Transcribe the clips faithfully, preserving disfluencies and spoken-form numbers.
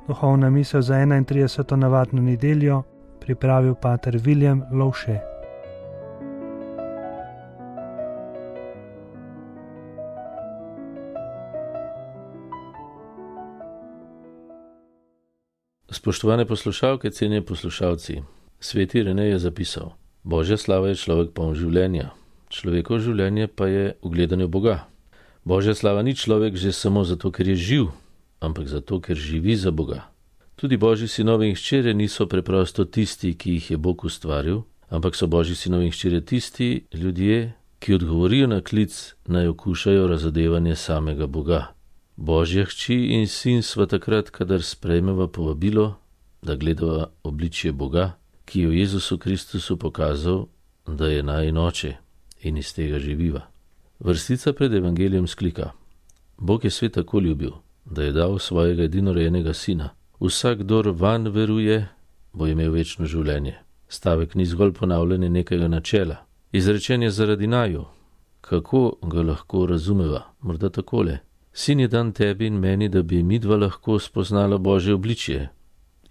Duhovna misel za enaintrideseto navadno nedeljo pripravil pater Viljem Lovše. Spoštovane poslušalke, cenjeni poslušalci, sveti Irenej je zapisal: Božja slava je človek poln življenja, človekovo življenje pa je v gledanju Boga. Božja slava ni človek že samo zato, ker je živ, ampak zato, ker živi za Boga. Tudi Božji sinovi in hčere niso preprosto tisti, ki jih je Bog ustvaril, ampak so Božji sinovi in hčere tisti ljudje, ki odgovorijo na klic, naj okušajo razodevanje samega Boga. Božja hči in sin sva takrat, kadar sprejmeva povabilo, da gledava obličje Boga, ki je v Jezusu Kristusu pokazal, da je najin oče, in iz tega živiva. Vrstica pred evangelijem sklika: Bog je svet tako ljubil, da je dal svojega edinorojenega sina. Vsak, kdor vanj veruje, bo imel večno življenje. Stavek ni zgolj ponavljanje nekega načela. Izrečen je zaradi naju. Kako ga lahko razumeva? Morda takole: Sin je dan tebi in meni, da bi midva lahko spoznala Božje obličje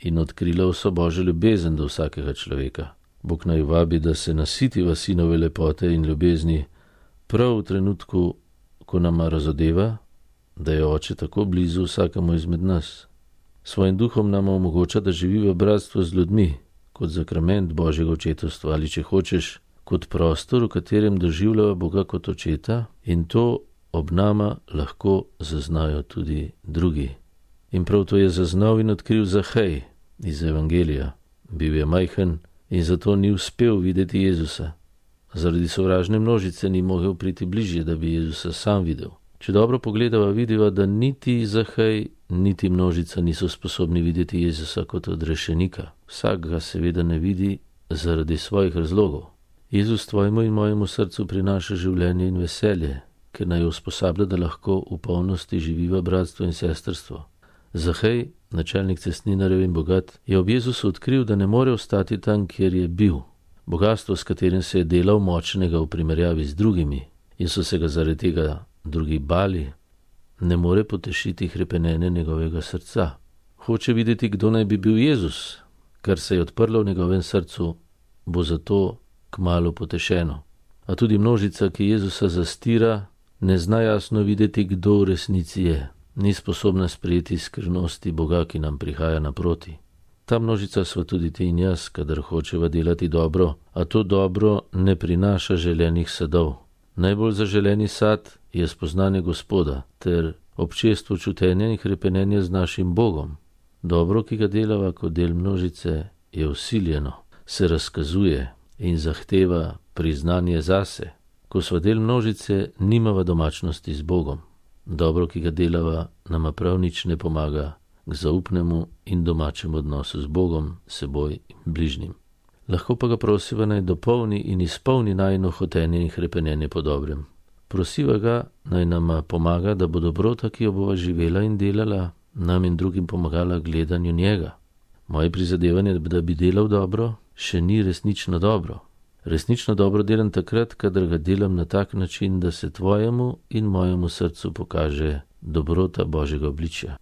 in odkrila vso Božjo ljubezen do vsakega človeka. Bog naj vabi, da se nasitiva sinove lepote in ljubezni prav v trenutku, ko nama razodeva, da je oče tako blizu vsakemu izmed nas. Svojim duhom nam omogoča, da živi v bratstvu z ljudmi, kot zakrament Božjega očetovstva ali, če hočeš, kot prostor, v katerem doživljava Boga kot očeta, in to ob nama lahko zaznajo tudi drugi. In prav to je zaznal in odkril Zahej iz evangelija. Bil je majhen in zato ni uspel videti Jezusa. Zaradi sovražne množice ni mogel priti bližje, da bi Jezusa sam videl. Če dobro pogledava, vidiva, da niti Zahej, niti množica niso sposobni videti Jezusa kot odrešenika. Vsak ga seveda ne vidi zaradi svojih razlogov. Jezus tvojemu in mojemu srcu prinaša življenje in veselje, ker naj usposablja, da lahko v polnosti živiva bratstvo in sestrstvo. Zahej, načelnik cestninarjev in bogat, je ob Jezusu odkril, da ne more ostati tam, kjer je bil. Bogastvo, s katerim se je delal močnega v primerjavi z drugimi in so se ga zaradi tega drugi bali, ne more potešiti hrepenenja njegovega srca. Hoče videti, kdo naj bi bil Jezus, kar se je odprlo v njegovem srcu, bo zato kmalu potešeno. A tudi množica, ki Jezusa zastira, ne zna jasno videti, kdo v resnici je. Ni sposobna sprejeti skrivnosti Boga, ki nam prihaja naproti. Ta množica sva tudi ti in jaz, kadar hočeva delati dobro, a to dobro ne prinaša želenih sadov. Najbolj zaželeni sad je spoznanje Gospoda ter občestvo čutenja in hrepenenja z našim Bogom. Dobro, ki ga delava kot del množice, je vsiljeno, se razkazuje in zahteva priznanje zase. Ko sva del množice, nimava domačnosti z Bogom. Dobro, ki ga delava, nama prav nič ne pomaga k zaupnemu in domačemu odnosu z Bogom, seboj in bližnjim. Lahko pa ga prosiva naj dopolni in izpolni najino hotenje in hrepenenje po dobrem. Prosiva ga naj nama pomaga, da bo dobrota, ki jo bova živela in delala, nam in drugim pomagala gledanju njega. Moje prizadevanje, da bi delal dobro, še ni resnično dobro. Resnično dobro delam takrat, kadar ga delam na tak način, da se tvojemu in mojemu srcu pokaže dobrota Božjega obličja.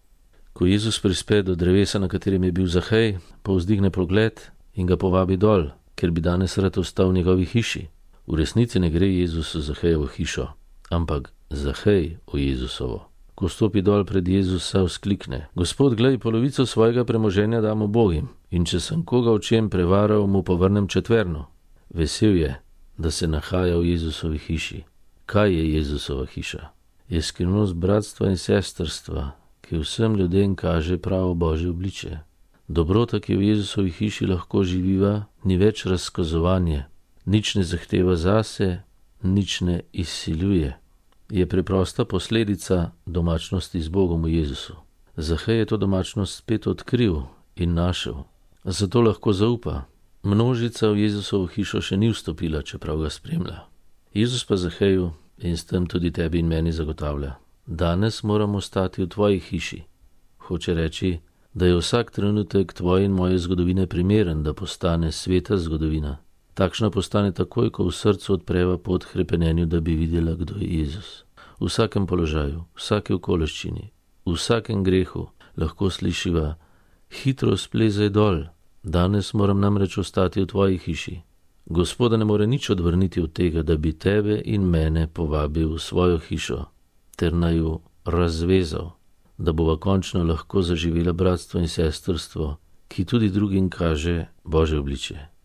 Ko Jezus prispe do drevesa, na katerem je bil Zahej, povzdigne pogled in ga povabi dol, ker bi danes rad ostal v njegovi hiši. V resnici ne gre Jezus v Zahejevo hišo, ampak Zahej v Jezusovo. Ko stopi dol pred Jezusa, vzklikne: Gospod, glej, polovico svojega premoženja dam ubogim, in če sem koga v čem prevaral, mu povrnem četverno. Vesel je, da se nahaja v Jezusovi hiši. Kaj je Jezusova hiša? Je skrivnost bratstva in sestrstva, ki vsem ljudem kaže pravo Božje obličje. Dobrota, ki v Jezusovi hiši lahko živiva, ni več razkazovanje, nič ne zahteva zase, nič ne izsiljuje. Je preprosta posledica domačnosti z Bogom v Jezusu. Zahej je to domačnost spet odkril in našel, zato lahko zaupa. Množica v Jezusovo hišo še ni vstopila, čeprav ga spremlja. Jezus pa Zaheju in s tem tudi tebi in meni zagotavlja: danes moramo stati v tvoji hiši. Hoče reči, da je vsak trenutek tvoje in moje zgodovine primeren, da postane sveta zgodovina. Takšna postane takoj, ko v srcu odpreva pot hrepenenju, da bi videla, kdo je Jezus. V vsakem položaju, vsake okoliščini, v vsakem grehu lahko slišiva: Hitro splezaj dol, danes moram namreč ostati v tvoji hiši. Gospoda ne more nič odvrniti od tega, da bi tebe in mene povabil v svojo hišo, ter naju razvezal, da bova končno lahko zaživela bratstvo in sestrstvo, ki tudi drugim kaže Božje obličje.